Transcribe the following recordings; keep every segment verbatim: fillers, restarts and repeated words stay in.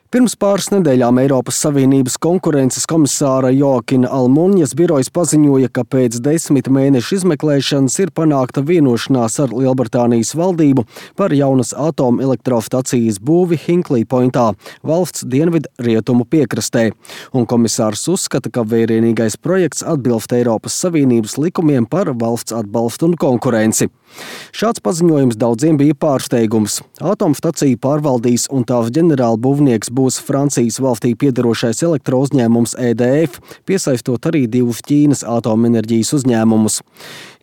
Pirms pāris nedēļām Eiropas Savienības konkurences komisāra Joakina Almunjas birojas paziņoja, ka pēc desmit mēnešu izmeklēšanas ir panākta vienošanās ar Lielbritānijas valdību par jaunas atomelektrostacijas būvi Hinkley Pointā, valsts dienvidu rietumu piekrastē. Un komisārs uzskata, ka vērienīgais projekts atbilst Eiropas Savienības likumiem par valsts atbalstu un konkurenci. Šāds paziņojums daudziem bija pārsteigums. Atomstaciju pārvaldīs un tās ģenerālbūvnieks būs Francijas valstī piederošais elektrouzņēmums E D F, piesaistot arī divus Ķīnas atomenerģijas uzņēmumus.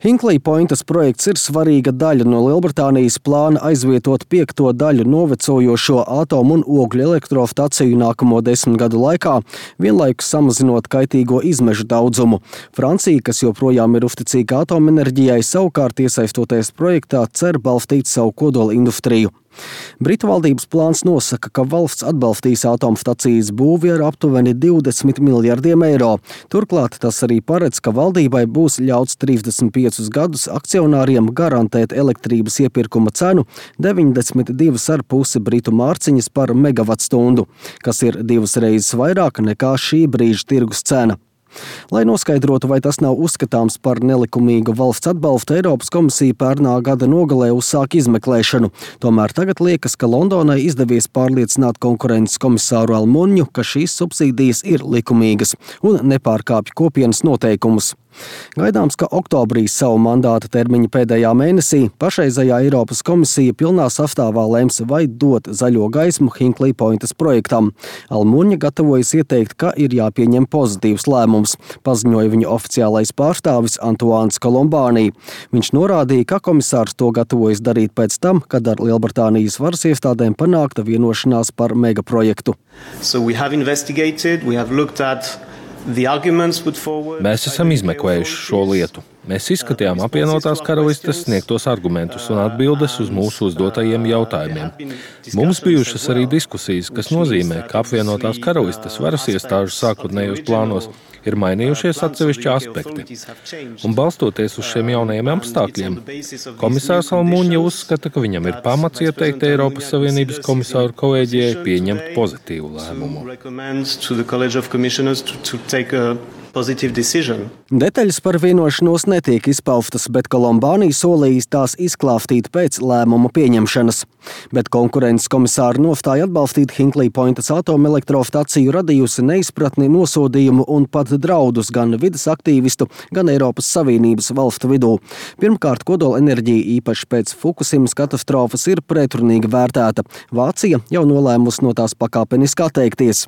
Hinkley Pointas projekts ir svarīga daļa no Lielbritānijas plāna aizvietot piekto daļu novecojošo atomu un ogļu elektrostaciju nākamo desmit gadu laikā, vienlaikus samazinot kaitīgo izmešu daudzumu. Francija, kas joprojām ir uzticīga atomenerģijai, savukārt iesaistoties projektā, cer balstīt savu kodola industriju. Britu valdības plāns nosaka, ka valsts atbalstīs atomstacijas būvi ar aptuveni divdesmit miljardiem eiro. Turklāt tas arī paredz, ka valdībai būs ļauts trīsdesmit piecus gadus akcionāriem garantēt elektrības iepirkuma cenu deviņdesmit divas ar pusi britu mārciņas par megavatstundu, kas ir divas reizes vairāk nekā šī brīža tirgus cena. Lai noskaidrotu, vai tas nav uzskatāms par nelikumīgu valsts atbalstu, Eiropas komisija pērnā gada nogalē uzsāk izmeklēšanu. Tomēr tagad liekas, ka Londonai izdevies pārliecināt konkurences komisāru Almunju, ka šīs subsīdijas ir likumīgas un nepārkāpj kopienas noteikumus. Gaidāms, ka oktobrī savu mandāta termiņa pēdējā mēnesī pašreizējā Eiropas komisija pilnā sastāvā lems, vai dot zaļo gaismu Hinkley Pointas projektam. Almunja gatavojas ieteikt, ka ir jāpieņem pozitīvs lēmums, paziņoja viņa oficiālais pārstāvis Antoāns Kolombāni. Viņš norādīja, ka komisārs to gatavojas darīt pēc tam, kad ar Lielbritānijas varas iestādēm panākta vienošanās par megaprojektu. So we have investigated, we have looked at Mēs esam izmeklējuši šo lietu. Mēs izskatījām apvienotās karalistes sniegtos argumentus un atbildes uz mūsu uzdotajiem jautājumiem. Mums bijušas arī diskusijas, kas nozīmē, ka apvienotās karalistes varas iestāžu sākotnējos plānos ir mainījušies atsevišķi aspekti. Un balstoties uz šiem jaunajiem apstākļiem, komisārs Almunja uzskata, ka viņam ir pamats ieteikt Eiropas Savienības komisāru kolēģijai pieņemt pozitīvu lēmumu. Detaļas par vienošanos netiek izpaustas, bet Kolombāni solījis tās izklāstīt pēc lēmuma pieņemšanas. Bet konkurences komisāra nostāja atbalstīt Hinkley Pointas atomelektrostaciju radījusi neizpratni, nosodījumu un pat draudus gan vides aktīvistu, gan Eiropas Savienības valstu vidū. Pirmkārt, kodola enerģija īpaši pēc Fukusimas katastrofas ir pretrunīgi vērtēta. Vācija jau nolēmusi no tās pakāpeniski atteikties.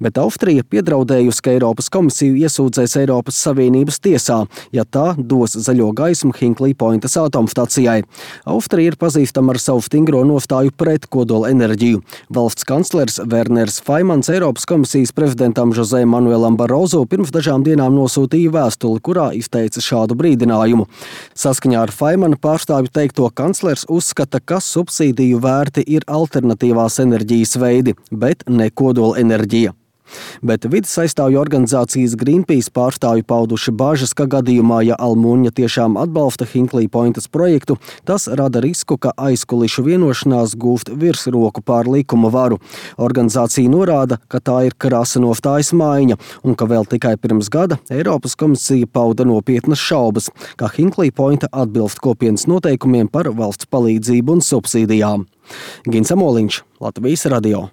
Bet Austrija piedraudējusi, ka Eiropas komisiju iesūdzēs Eiropas Savienības tiesā, ja tā dos zaļo gaismu Hinkley Pointas atomstacijai. Austrija ir pazīstama ar savu stingro nostāju pret kodola enerģiju. Valsts kanclers Werners Faimans Eiropas komisijas prezidentam José Manuelam Barroso pirms dažām dienām nosūtīja vēstuli, kurā izteica šādu brīdinājumu. Saskaņā ar Faimana pārstāvju teikto, kanclers uzskata, ka subsīdiju vērti ir alternatīvās enerģijas veidi, bet ne kodola enerģija. Bet vides aizstāvju organizācijas Greenpeace pārstāvji pauduši bažas, ka gadījumā, ja Almunja tiešām atbalsta Hinkley Pointas projektu, tas rada risku, ka aizkulišu vienošanās gūst virsroku pār likuma varu. Organizācija norāda, ka tā ir krasa nostājas maiņa un ka vēl tikai pirms gada Eiropas komisija pauda nopietnas šaubas, ka Hinkley Pointa atbilst kopienas noteikumiem par valsts palīdzību un subsīdijām. Gins Amoliņš, Latvijas radio.